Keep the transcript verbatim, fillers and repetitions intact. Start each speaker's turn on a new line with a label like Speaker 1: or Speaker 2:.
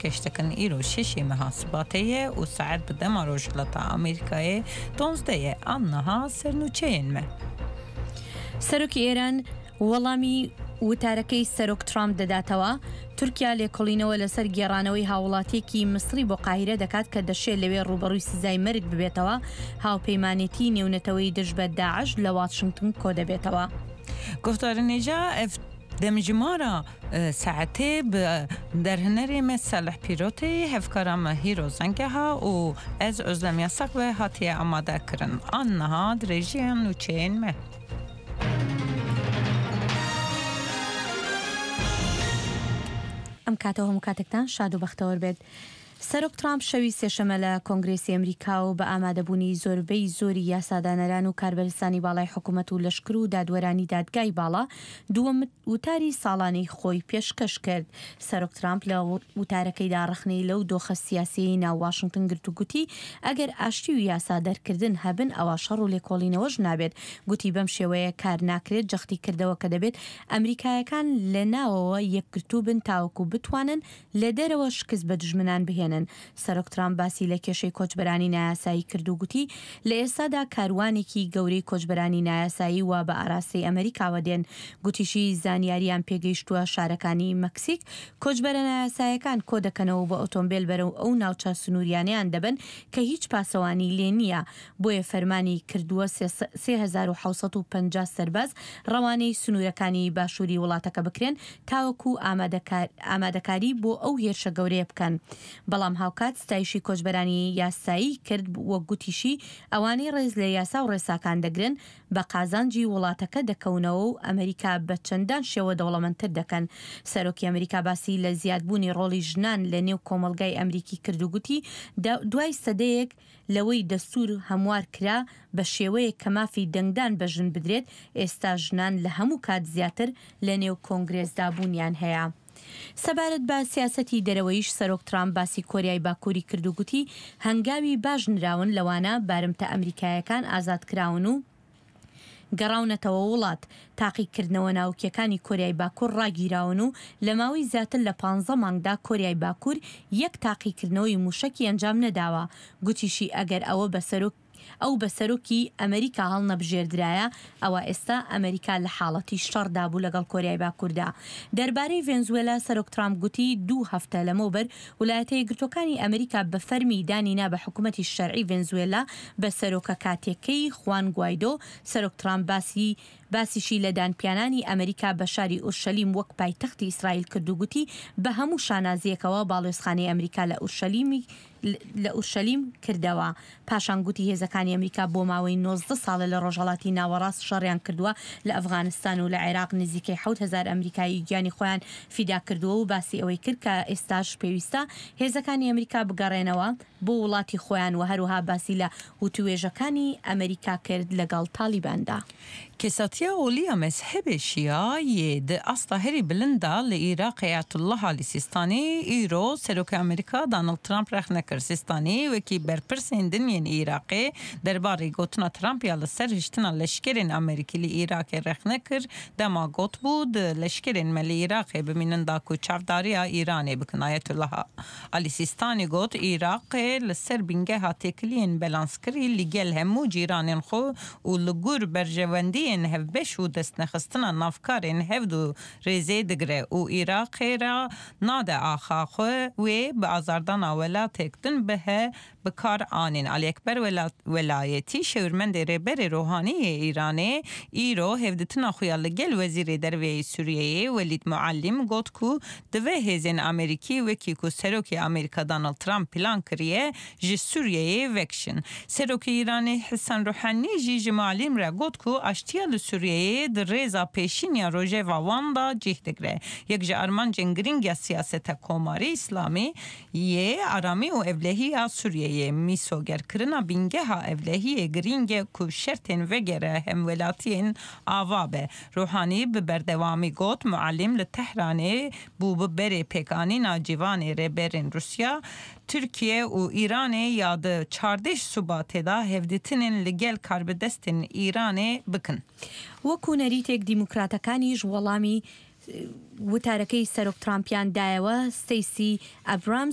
Speaker 1: پێشکەش دەکەن. Îro şeşê meha Sibatê ye û saet bi dema Rojhilata Amerîkayê duwazdeh ye. An niha sernûçeyên me.
Speaker 2: سەرۆکی ئێران وەڵامی وتارەکەی سەرۆک ترامپ دەداتەوە. تورکیا لێکۆڵینەوە لەسەر گێڕانەوەی هاوڵاتیەکی میسری بۆ قاهیرە دەکات کە دەشێت لەوێ ڕووبەڕووی سزای مەرگ ببێتەوە. هاوپەیمانێتی نێونەتەوەی دژ بە داعش لە واشنگتن کۆ دەبێتەوە.
Speaker 1: Guhdarên hêja ev demjimara saetê bi derhinerê me Selih Pîrotê, hevkara me Hîro Zengeha û ez Özlem Yasak ve hatiye amade kirin. An niha dirêjiya nûçeyên me.
Speaker 2: ئەم کاتەوە هەموو کاتێکتان شاد و بەختەوەر بێت. سەرۆک ترامپ شەوی سێشەمە لە کۆنگرێسی ئەمریکا و بە ئامادەبوونی زۆربەی زۆری یاسادانەران و کاربەرزانی باڵای حکوومەت و لەشکر و دادوەرانی دادگای باڵا دووەم وتاری ساڵانەی خۆی پێشکەش کرد. سەرۆک ترامپ لە وتارەکەیدا ڕەخنەی لەو دۆخە سیاسیەی ناو واشنگتن گرت و گوتی ئەگەر ئاشتی و یاسا دەرکردن هەبن ئەوە شەڕ و لێکۆڵینەوەش نابێت. گوتی بەم شێوەیە کار ناکرێت. جەختی کردەوە کە دەبێت ئەمریکایەکان لە ناوەوە یەکگرتوو بن تاوەکو بتوانن لە دەرەوە شکست بە دوژمنان بهێنن. سەرۆک ترامپ باسی لە کێشەی کۆچبەرانی نایاسایی کرد و گوتی لە ئێستادا کاروانێکی گەورەی کۆچبەرانی نایاسایی وا بە ئاراستەی ئەمریکاوە دێن. گوتیشی زانیاریان پێگەیشتووە شارەکانی مەکسیک کۆچبەرە نایاساییەکان کۆ دەکەنەوە بە ئۆتۆمبیل بەرەو ئەو ناوچە سنووریانیان دەبن کە هیچ پاسەوانی لێ نییە. بۆیە فەرمانی کردووە سێ هەزار و حەوت سەد و پەنجا سەرباز ڕەوانەی سنوورەکانی باشووری وڵاتەکە بکرێن تاوەکو ئامادەکاری بۆ ئەو هێرشە گەورەیە بکەن. بەڵام هاوکات ستایشی کۆچبەرانی یاسایی کرد وە گوتیشی ئەوانەی ڕێز لە یاسا و ڕێساکان دەگرن بە قازانجی وڵاتەکە دەکەونەوە و ئەمریکا بە چەندان شێوە دەوڵەمەندتر دەکەن. سەرۆکی ئەمریکا باسی لە زیادبوونی ڕۆڵی ژنان لە نێو کۆمەڵگای ئەمریکی کرد و گوتی دوای سەدەیەک لەوەی دەستور هەموار کرا بە شێوەیەک کە مافی دەنگدان بە ژن بدرێت، ئێستا ژنان لە هەموو کات زیاتر لە نێو کۆنگرێسدا بوونیان هەیە. سەبارەت بە سیاسەتی دەرەوەیش سەرۆک ترامپ باسی کۆریای باکووری کرد و گوتی هەنگاوی باش نراون لەوانە بارمتە ئەمریکایەکان ئازاد کراون و گەڕاونەتەوە وڵات. تاقیکردنەوە ناوکیەکانی کۆریای باکوور ڕاگیراون و لە ماوەی زیاتر لە پانزە مانگدا کۆریای باکوور یەک تاقیکردنەوەی موشەکی ئەنجام نەداوە. گوتیشی ئەگەر ئەوە بە سەرۆک ئەو بە سەرۆکی ئەمریکا هەڵنەبژێردرایە ئەوە ئێستا ئەمریکا لە حاڵەتی شەڕدا بوو لەگەڵ کۆریای باکووردا. دەربارەی ڤێنزوێلا سەرۆک ترامپ گوتی دوو هەفتە لەمەوبەر ویلایەتە یەکگرتووەکانی ئەمریکا بە فەرمی دانی نا بە حکوومەتی شەرعی ڤێنزوێلا بە سەرۆکە کاتێکەی خوان گوایدۆ. سەرۆک ترامپ باسی باسیشی لە دانپیانانی ئەمریکا بە شاری ئورشەلیم وەک پایتەختی ئیسرائیل کرد و گوتی بە هەموو شانازیەکەوە باڵوێزخانەی ئەمریکا لە ئورشەلیمی لە ئورشەلیم کردەوە. پاشان گوتی هێزەکانی ئەمریکا بۆ ماوەی نۆزدە ساڵە لە ڕۆژهەڵاتی ناوەڕاست شەڕیان کردووە لە ئەفغانستان و لە عێراق نزیکەی حەوت هەزار ئەمریکایی گیانی خۆیان فیدا کردووە و باسی ئەوەی کرد کە ئێستاش پێویستە هێزەکانی ئەمریکا بگەڕێنەوە بۆ وڵاتی خۆیان و هەروەها باسی لە وتوێژەکانی ئەمریکا کرد لەگەڵ تالیباندا.
Speaker 1: Kesatiya olî ya mezhebê Şia yê di asta herî bilind da li Iraqê Ayetullah Alî Sistanî îro Serokê Amerîka Donald Trump rexne kir. Sistanî wekî berpirsên din yên Iraqê derbarê gotina Trump ya li ser hiştina leşkerên Amerîkî li Iraqê rexne kir dema got bû di leşkerên me li Iraqê bimînin da ku çavdariya Îranê bikin. Ayetullah Alî Sistanî got Iraqê li ser bingeha têkiliyên belanskirî li gel hemû cîranên xwe û li gur berjewendiyên hevbeş û destnexistina navkarên hevdu rêzê digire û Iraqê re nade axa xwe wê bi azardana welatek din bihe bi kar anîn. Alî Ekber Welayetî şêwirmendê rêberê Rohanî yê Îranê îro hevditina xwe ya li gel Wezîrê Derveyê Sûriyeyê Welîd Muallim got ku divê hêzên Amerîkî wekî ku Serokê Amerîka Donald Trump plan kiriye ji Sûriyeyê vekişin. Serokê Îranê Hesen Ruhanî jî ji Muallim re got ku aştiya li Sûriyeyê di rêza pêşîn ya rojeva wan da cih digre. Yek ji armancên girîng ya siyaseta Komarî İslamî yê aramî û evlehiya Sûriyeyê mîsogerkirina bingeha evlehiyê girîng e ku şertên vegere hemwelatiyên ava be. Ruhanî bi berdewamî got Muallim li Tehranê bû bi berê pêkanîna cîvanê rêberên Rusya Türkiye û Îranê ya di çardeh Subatê da hevdîtinên li gel karbidestên Îranê bikin.
Speaker 2: وەکو نەریتێک دیموکراتەکانیش وەڵامی وتارەکەی سەرۆک ترامپیان دایەوە، ستەیسی ئەبرامز